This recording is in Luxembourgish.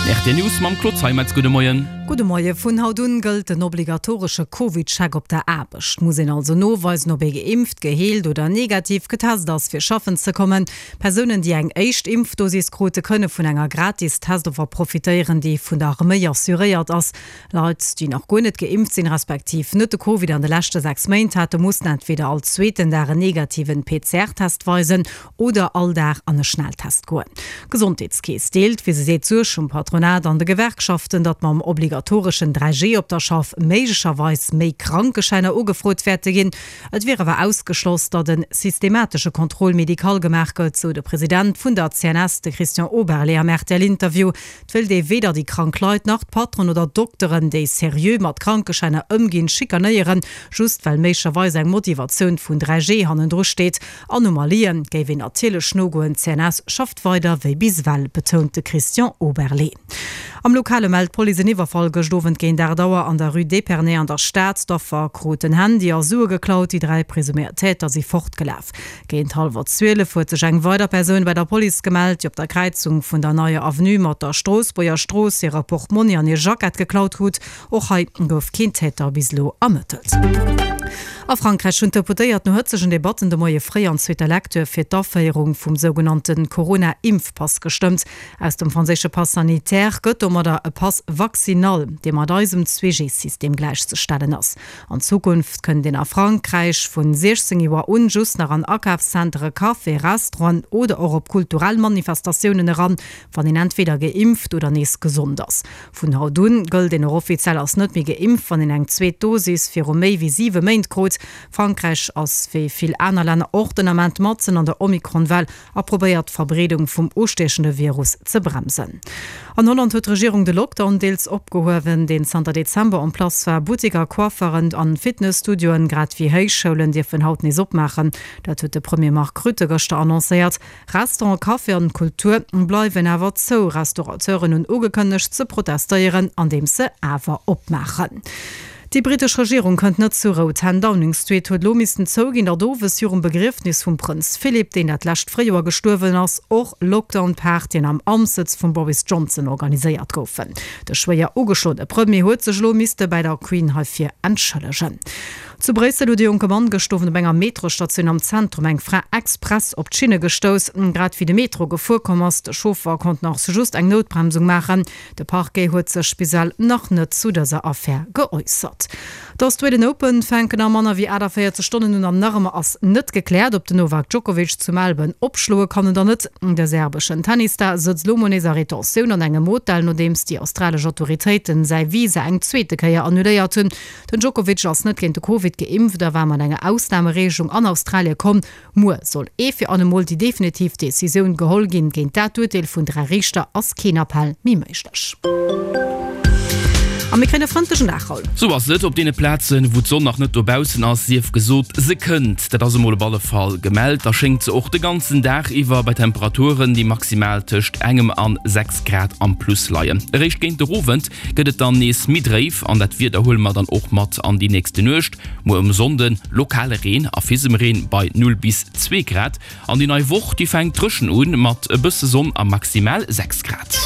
Rtl News mam Claude Zeimetz. Gudde Moien. Gudde Moie. Vun haut un gëllt den obligatoresche Covid-Check op der Aarbecht. Muss een also noweisen, ob ee geimpft, geheelt oder negativ getest ass, fir schaffen ze kommen. Persounen, déi eng éischt Impfdosis krute, kënne vun enger gratis Testoffer profitéieren, déi vun der Arméi assuréiert ass. Leit, déi nach guer net geimpft sinn, respektiv net de Covid an de leschte 6 Méint haten, mussen entweder all zweeten Dag en negativen PCR-Test weisen oder all Dag an e Schnelltest goen. D'Gesondheetskeess deelt, wéi se seet, d'Suerg vum Patronat an de Gewerkschaften, datt mam obligatoreschen 3G op der Schaff méiglecherweis méi Krankeschäiner ugefrot wäerte ginn. Et wier awer ausgeschloss, datt e systematesche Contrôle médical gemaach gëtt, sou de President vun der CNS, de Christian Oberlé am RTL-Interview. Et wéilt ee weder déi krank Leit nach d'Patronen oder d'Dokteren, déi seriö mat Krankeschäiner ëmginn, schikanéieren, just well méiglecherweis eng Motivatioun vun 3G hannendru steet. Anomalien géif een natierlech nogoen, d'CNS schafft weider wéi bis ewell, betount de Christian Oberlé. Am Lokale mellt d'Police en Iwwerfall gëscht Owend géint 8 Auer an der Rue d'Épernay an der Stad. D'Affer krut den Handy a Sue geklaut. Déi 3 presuméiert Täter si fortgelaf. Géint hallwer 12 huet sech eng weider Persoun bei der Police gemellt, déi op der Kräizung vun der Neier Avenue mat der Stroossbuerger Strooss hire Portmonni an hir Jackett geklaut krut. Och hei gouf keen Täter bis elo ermëttelt. A Frankräich hunn d'Deputéiert no hëtzegen Debatten de Moie fréi an zweeter Lecture fir d'Aféierung vum sougenannte Corona-Impfpass gestëmmt. Aus dem franséische Pass sanitaire gëtt domadder e Pass vaccinal, dee mat eisem 2G-System gläichzestellen ass. An Zukunft kënnt een a Frankräich vun 16 Joer un just nach an Akafszentere, Café, Restauranten oder och op kulturell Manifestatiounen eran, wann een entweder geimpft oder nees gesond ass. Vun haut un gëllt een och offiziell als net méi geimpft, wann een eng zweet Dosis viru méi wéi 7 Méint krut. Frankräich ass wéi vill aner Länner och den Ament matzen an der Omikron-Well a probéiert d'Verbreedung vum ustiechende Virus ze bremsen. An Holland huet d'Regierung de Lockdown deels opgehuewen, deen zanter Dezember en place war. Butteker, Coifferen an Fitnesstudioen, grad wéi Héichschoulen dierfen haut nees opmaachen. Dat huet de Premier Mark Rutte gëschter annoncéiert. Restaurant, Café an Kultur bleiwen awer zou. Restaurateuren hunn ugekënnegt ze protestéieren, andeems se awer opmaachen. Déi brittesch Regierung kënnt net zur Rou. Ten Downing Street huet elo missten zouginn, datt owes virum Begriefnis vum Prënz Philip, deen dat lescht Fréijoer gestuerwen ass, och Lockdown-Partyen am Amtssëtz vum Boris Johnson organiséiert goufen. De schwéier ugeschloene Premier huet sech elo misste bäi der Queen heifir entschëllegen. Zu Bréissel huet e jonke Mann gëscht Owend op enger Metrosstatioun am Zentrum eng Fra express op d'Schinne gestouss, grad wéi de Metro gefuer komm ass. De Chauffer konnt nach just eng Noutbremsung maachen. De Parquet huet sech bis ewell nach net zu dëser Affär geäussert. D'Australian Open fänken a manner wéi 48 Stonnen un an nach ëmmer ass net gekläert, ob den Novak Djokovic zu Melbourne opschloe kann oder net. De serbeschen Tennisstar sëtzt elo mol nees a Retentioun an engem Hotel, nodeems déi australesch Autoritéiten säi Visa eng zweete Kéier annuléiert hunn. Den Djokovic ass net géint de Covid geimpft a war mat enger Ausnamereegelung an Australie komm. Muer soll ee fir allemol déi definitiv Decisioun geholl ginn. Géint dat Urteel vun 3 Riichter ass keen Appell méi méiglech. A mir kréien e frëndlechen Dag, Raoul. Sou ass et. Op deene Plazen, wou d'Sonn nach net dobaussen ass, sief gesot, se kënnt. Dat ass emol op alle Fall gemellt. Da schéngt se och de ganzen Dag iwwer bei Temperaturen, déi maximal tëscht engem an 6 Grad am Plus leien. Eréischt géint de Owend gëtt et dann nees méi dréif an dat Wieder huele mer dann och mat an déi nächste Nuecht. Muer um Sonnde lokale Reen a Fisemreen bei 0 bis 2 Grad an déi nei Woch déi fänkt dréchen un mat e bësse Sonn a maximal 6 Grad.